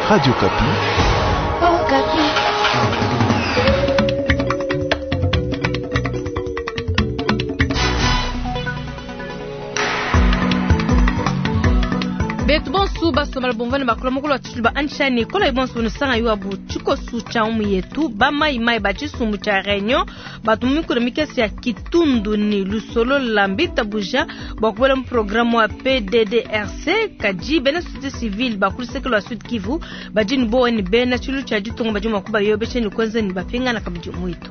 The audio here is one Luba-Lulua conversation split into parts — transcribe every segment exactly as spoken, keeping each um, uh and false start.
Radio Okapi. Okapi. Betu bonsu basomala bomvane bakula mukulu wa tshitulu ba anshani kola ibonsu nusanga yuwa bu tshikosu tsha umu yetu ba mai mai ba tshisumbu tsha réunion batu mikolo mikese ya kitundu ni lusolo la mbita buja bua kubuela mu programme wa P D D R C kadi bena société civile bakulu wa Sud Kivu badi ni bowa ni bena tshilu tsha ditunga badi mua kubayobesha ni kwenza ni bapingana kabidi mwitu.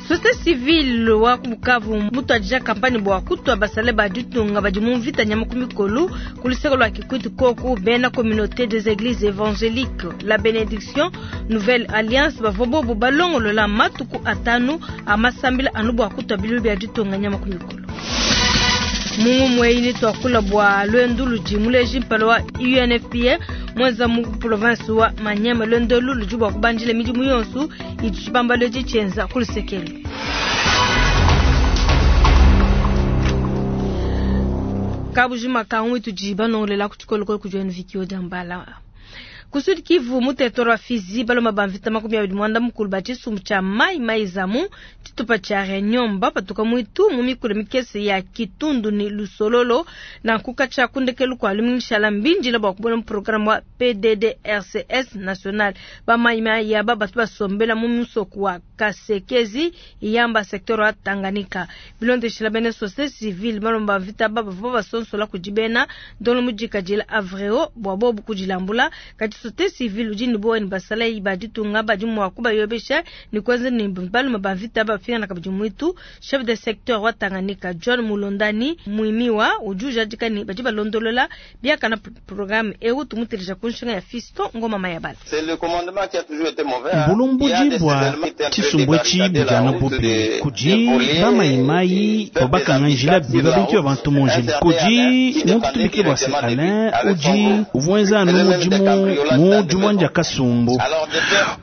Société civile wa Bukavu mutu adija kampani bua kutwa basale ba ditunga badi mu mvita nyama ku mikolu ku luseke lua Kikwit koku bena communauté des églises évangéliques la bénédiction nouvelle alliance bavua bobu balongolola matuku atanu a masambila anu bua kutwa bilu bia ditunga nyama ku mikolu. Mungu mweini twakula bua lwendu ludi muleji mpala wa U N F P A mwenza mu province wa Manyema lwendu ludi bua kubanjila midimu yonsu idi tshibambalo tshienza ku lusekelo. Kabujima kangu tudi banongolela ku tshikolokolo ku joine Vikio Dambala. Ku Sud Kivu mu territoire wa Fizi baloma ba mvita makumi abidi mwanda mukulu ba tshisumbu tsha mai mai zamu tshitupa tsha Réunion bapatuka mwitu mu mikolo mikese ya Kitundu ni Lusololo na nkuka tsha kundekelu kwa lumingishala mbinjila bua kubona mu programme wa P D D R C S national ba mai mai ya ba batu basombela mu musoko wa Kasekezi yamba secteur wa Tanganyika bilondeshela bene société civile baloma ba mvita ba bavua basonsola kudibena ndolo mujikajila avreo bua bobu kudilambula kati société civile udi ni bowa ni basala ba ditunga badi mua kubayobesha ni kwenza ni balume ba mvita bapingana kabidi mwitu. Chef de secteur wa Tanganyika John Mulondani Mwimiwa udi ujadika ni badi balondolola biakana programme eu tumuteleja ku nshinga ya Fiston Ngoma Mayabala. C'est le commandement qui a toujours été mauvais, hein. Bulomboji bua tshisumbu etshi bujana bubi kudi bamayimayi babakanga njila biba bintu bya bantu mu njila kudi muntu tumikile bua se Alain udi uvuenza anu mudimu mu dimwanja kasumbu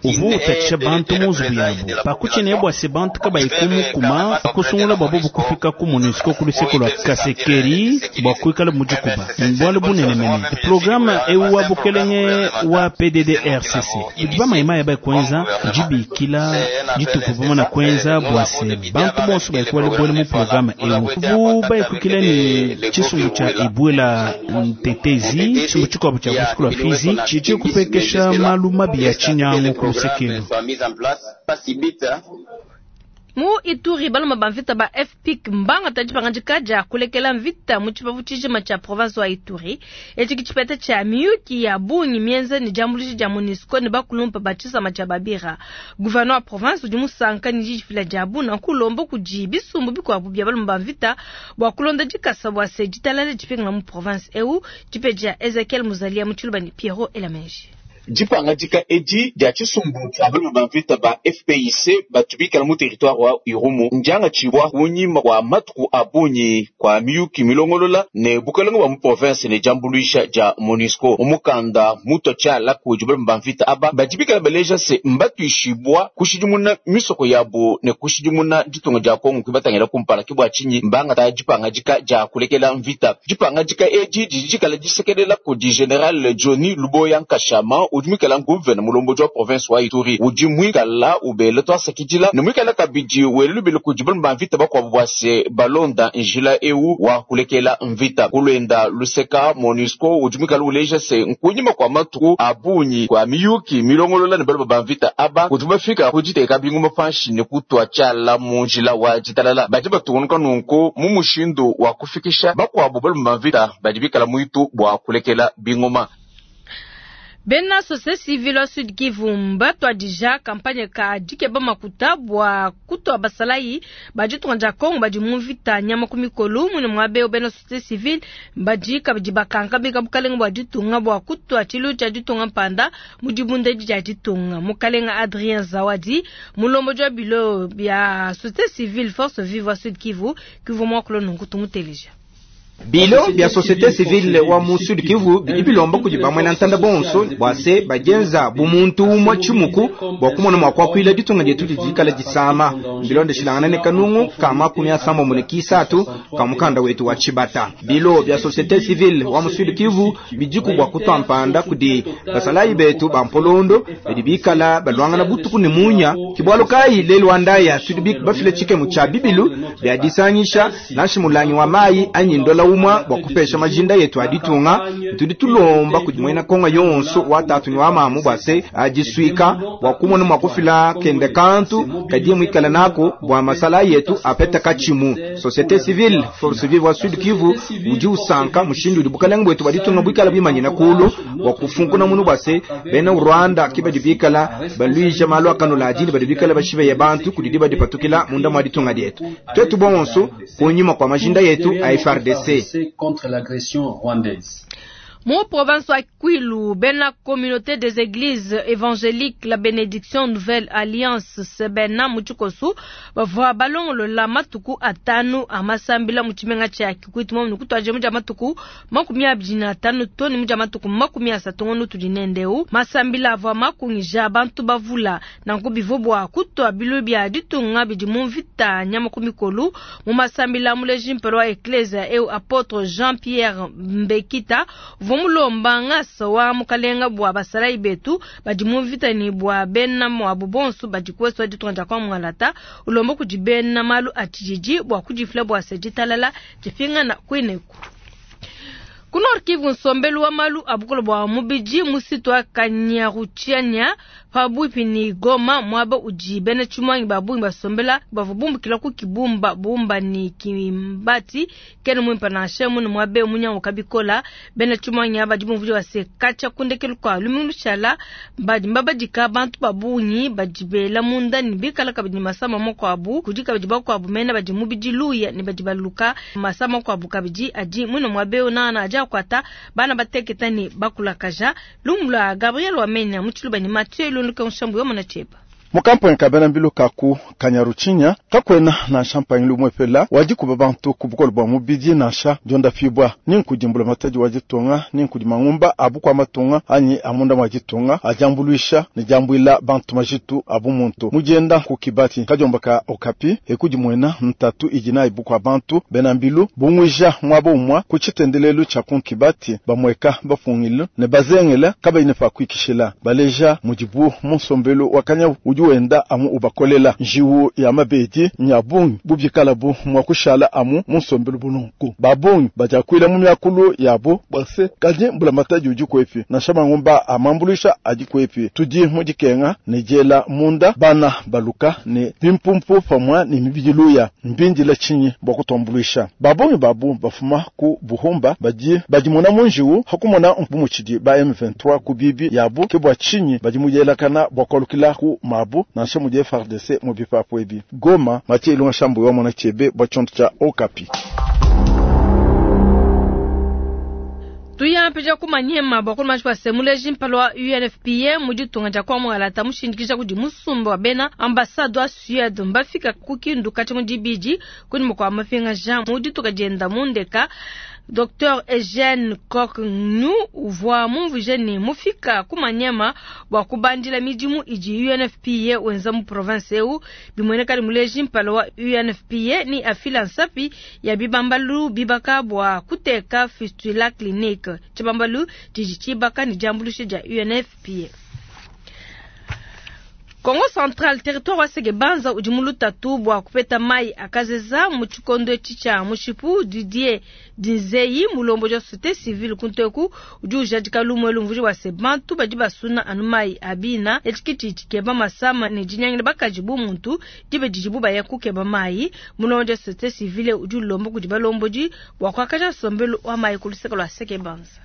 uvu utatshisha bantu mu nzubu yabu pakutshiene bua se bantu kabayi kumukuma pakusungula bua bobu kufika ku MONUSCO ku luseke lua Kasekeri bua kuikala mudikuba mbualu bunene mene programme eu wa bukelenge wa P D D R C C idi bamayimayi baikwenza dibikila dituku pamwe na kwenza bua se bantu bonso baikuwa buele mu programme eu bu baikukile ni tshisumbu tsha ibwela ntetezi tshisumbu tshikuabu tsha luseke lua Fizi tshidi kupekesha malu mabi ya tshinyangu ku lusekelo. Mu Ituri baloma ba mvita ba F P I C mbanga tadi pangandika dia kulekela mvita mu tshipapu tshijima tshia province wa Ituri. Etshi kitshipeta tshia miyuki ya bungi mienza ni diambuluisha dia MONUSCO ne bakulumpa ba tshisama tshia Babira. Gouverneur wa province udi musanka ni didifila dia buna kulomba kudi bisumbu bikuabu bia baloma ba mvita bua kulonda dikasa bua se ditalala dipingana mu province eu dipe dia Ezekiel Muzalia mu Tshiluba ni Pierrot Elamenji. Dipangadika edi dia tshisumbu tshia balume ba mvita ba F P I C batubikala mu territoire wa Irumu ndianga tshibwa kunyima kwa matuku a bungi kwa miyuki milongolola ne bukalenge bwa mu province ne diambuluisha dia MONUSCO. Mumukanda muto tshiala kudi balume ba mvita aba badibikala baleja se mbatuishibwa kushidimuna misoko yabo ne kushidimuna ditunga dia Kongo kubatangila kumpala ke bua tshinyi mbangata dipangadika dia kulekela mvita. Dipangadika edi didi dikala disekelela kudi General Johnny Luboya Nkashama udi mwikala nguvena mulomboji wa province wa Ituri udi mwikala ubele twasakidila ne mwikala kabidi welubile kudi balume ba mvita bakuabu bua se balonda njila eu wa kulekela mvita kulwenda luseka MONUSCO udi mwikala uleja se nkunyima kwa matuku a bungi kwa miyuki milongolola ne balume ba mvita aba udi bafika kuditeka binguma panshi ne kutwa tshiala mu njila wa ditalala badi batungunuka nunku mu mushindu wa kufikisha bakuabu balume ba mvita badi bikala mwitu bua kulekela bingoma. Bena société civile wa Sud Kivu mbatwadija kampanye ka dikeba makuta bua kutwa basalayi badi tuanja Kongo badi mu mvita nyama ku mikolu mune mwabe bena société civile badi kabidi bakanka bika bukalenga bua ditunga bua kutwa tshilu tshia ditunga mpanda mu dibunda dia ditunga. Mukalenga Adrien Zawadi mulomboji wa bilo bia société civile force vive wa Sud Kivu Kivu mwa kulonungu tumuteleja. Bilo bya société civile wa mu Sud Kivu bidi bilomba kudi bamwena ntanda bonso bwa se bajenza bumuntu umwe chimuku bwa kumona mwa kwakwila ditunga dietu didikala disama bilonde shilangana ne kanungu kama kumi asambo mune kisatu kamukanda wetu wa chibata. Bilo bya société civile wa mu Sud Kivu bijiku bwa kutwampanda kudi basalayi betu bampolondo bidi bikala balwangana butuku ne munya kibwalo kai lelo andaya tudi bafile chike mu cha bibilu bya disanyisha nashi mulangi wa mayi anyi ndola umwa bwa kupesha majinda yetu aditunga tudi tulomba kudi mwena konga yonso watatu ni wa mamu bwase ajiswika bwa kumona mwa kufila kende kantu kadiye mwikala nako bwa masala yetu apeta kachimu. Société civile force vive wa Sud Kivu uji usanka mushindu udi bukalenga bwetu baditunga bwikala bimanyina kulu bwa kufunkuna munu bwase bena Rwanda kibadi bikala baluija malu akanula ajili badi bikala bashibe ya bantu kudidi badi patukila munda mwa ditunga dietu twetu bonso kunyuma kwa majinda yetu a F R D C contre l'agression rwandaise. Mu province wa Kwilu, bena communauté des églises évangéliques la bénédiction nouvelle alliance sebena muchikosu bavua balongolola matuku atanu amasambila muchimenga cha Kikwit mo nukutwaje muja matuku makumi abiri na atanu toni muja matuku makumi asatu ngono tudinendeu masambila avua makungija bantu bavula nanku bivobwa kutwa bilu bya ditunga bidi mu mvita nyama ku mikolu mu masambila muleji mpelo wa ecclesia eu apôtre Jean-Pierre Mbekita mulomba ngasa wa mukalenga bwa basalayi betu badi mu mvita ni bwa bena mwabu bonso badi kweswa ditunga kwa mwalata ulomba kudi bena malu atijiji bwa kudifula bwa sejitalala dipinga na kwineku. Ku Nord Kivu nsombelu wa malu abukolo bwa mubiji musitu wa Kanyaruchianya pabuipi ni Goma mwaba uji bena chumwangi babungi basombela bavubumbukila ku kibumba bumba ni kimbati kene mwimpa na shemu ni mwabe munyango kabikola bena chumwangi aba dibumvuji wase kacha kundekelu kwa lumingu shala badi mbabadika bantu babungi badibela munda ni bikala kabidi masama moko abu kudika badi bakwabu mena badi mubiji luya ni badi baluka masama kwa abu kabidi adi mwino mwabe unana aja kwata bana bateketa ni bakulakaja lumula Gabriel Wamenya muchiluba ni Mathieu Lunduka nshambu yomona cheba mukampanyi kabena mbilu kaku Kanyaruchinya kakwena na nshampanyi lumwepela wadikuba bantu ku bukolo bwa mubidi nansha dionda fibwa ninkudimbula matadi wa ditunga ninkudi mangumba abu kwa matunga anyi amunda mwa ditunga ajambuluisha ni jambwila bantu majitu abu muntu mujenda ku kibati kajomba ka okapi ekudi mwena ntatu ijina ibu kwa bantu bena mbilu bungwija mwabo umwa ku chitendelelu cha ku kibati bamweka bafungile ne bazengela kabaine pa kwikishila baleja mujibu munsombelu wakanya uju wenda amu ubakolela njiwu ya mabedi nyabungi bubyikalabu mwakushala amu munsombelu bulunku babungi bajakwila mu myakulu yabo bwase kaji mbula mataji uji kwepi na shamangumba amambulisha aji kwepi tudi mujikenga nejela munda bana baluka ne bimpumpu pamwa ni mibijiluya mbindila chinyi bwakutombulisha babungi babu bafuma ku buhumba baji bajimona munjiwu hakumona mpumuchidi ba M vingt-trois ku bibi yabo kebwa chinyi bajimujelakana bwakolukila ku mabu nansha mu F R D C mu bipapu ebi Goma Mathieu Ilunga Shambu wa mona chebe bwa chonto cha Okapi. Tuya mpeja kumanyema bakulu mashwa semuleji mpalo wa U N F P A mujitunga ja kwa mwalata mushindikisha kudi musumba wa bena ambassadeur wa Suède mbafika kukindu kati mudibidi kuni mkwa mafinga Jean mudituka jenda mundeka Docteur Eugène Koknu uvwa mumvuje ni mufika kumanyema bwa kubandila midimu iji U N F P A wenza mu province eu bimweneka muleji mpalo wa U N F P A ni afila nsapi ya bibambalu bibaka bwa kuteka fistula clinique chibambalu jiji chibaka ni jambulushe ja U N F P A. Kongo Central territoire wa Sege Banza ujimulu tatu bwa kupeta mai akazeza muchikondo chicha mushipu Didier Dinzeyi mulombo ja société civile kunteku uju jadika lumwe lumvuji wa sebantu badi basuna anu mai abina etikiti chikeba masama ne jinyangile bakajibu muntu dibe dijibu baya kukeba mai mulombo ja société civile uju lombo kudiba lomboji bwa kwakaja sombelu wa mai kuluseka lwa Sege Banza.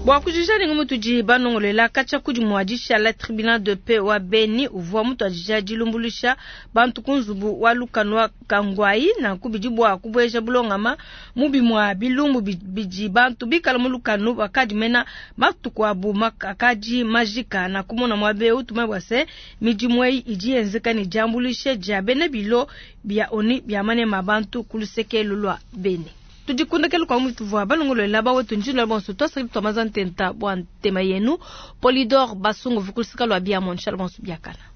Bua kujija ninga mutudi banongolela katshia kudi muadisha tribunal de paix wa Beni uvua mutuadija dilumbuluisha bantu ku nzubu wa lukanu Kangwai na kubidi bua kubueja bulongama mubi mwa bilumbu bidi bantu bikala mu lukanu bakadi mena matuku abu akadi majika na kumona mwabe utuma bua se midimu eyi idi yenzeka ne diambuluisha dia bena bilo bia oni bia manema bantu ku lusekelo lwa Beni. Tudikundakelo kwa mutu vwa balongololela bawetu njino bonso twasaki twamaza ntenta bwa ntema yenu Polidor Basungu vukulusika lwa bia mon shalom biakana.